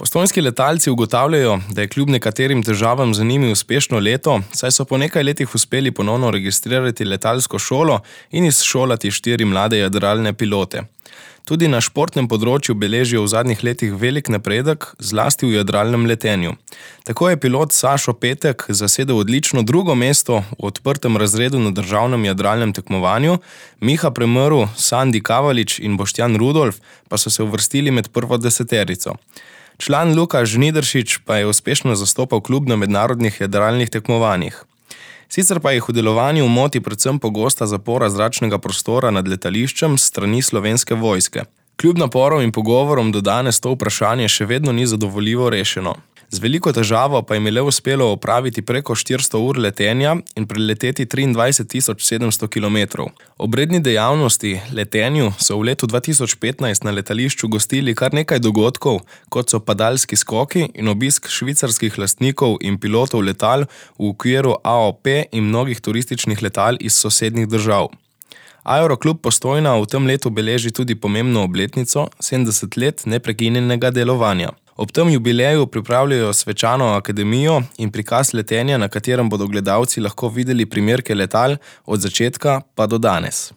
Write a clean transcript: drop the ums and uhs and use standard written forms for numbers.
Postojnski letalci ugotavljajo, da je kljub nekaterim težavam za njimi uspešno leto, saj so po nekaj letih uspeli ponovno registrirati letalsko šolo in izšolati 4 mlade jadralne pilote. Tudi na športnem področju beležijo v zadnjih letih velik napredek, zlasti v jadralnem letenju. Tako je pilot Sašo Petek zasedel odlično 2. mesto v odprtem razredu na državnem jadralnem tekmovanju, Miha Premrl, Sandi Kavalič in Boštjan Rudolf pa so se uvrstili med prvo deseterico. Član Luka Žnidaršič pa je uspešno zastopal klub na mednarodnih jadralnih tekmovanjih. Sicer pa jih v delovanju moti predvsem pogosta zapora zračnega prostora nad letališčem s strani Slovenske vojske. Kljub naporom in pogovorom do danes to vprašanje še vedno ni zadovoljivo rešeno. Z veliko težavo pa jim je le uspelo opraviti preko 400 ur letenja in preleteti 23.700 kilometrov. Ob redni dejavnosti, letenju, so v letu 2015 na letališču gostili kar nekaj dogodkov, kot so padalski skoki in obisk švicarskih lastnikov in pilotov letal v okviru AOP in mnogih turističnih letal iz sosednjih držav. Aeroklub Postojna v tem letu beleži tudi pomembno obletnico, 70 let neprekinjenega delovanja. Ob tem jubileju pripravljajo svečano akademijo in prikaz letenja, na katerem bodo gledalci lahko videli primerke letal od začetka pa do danes.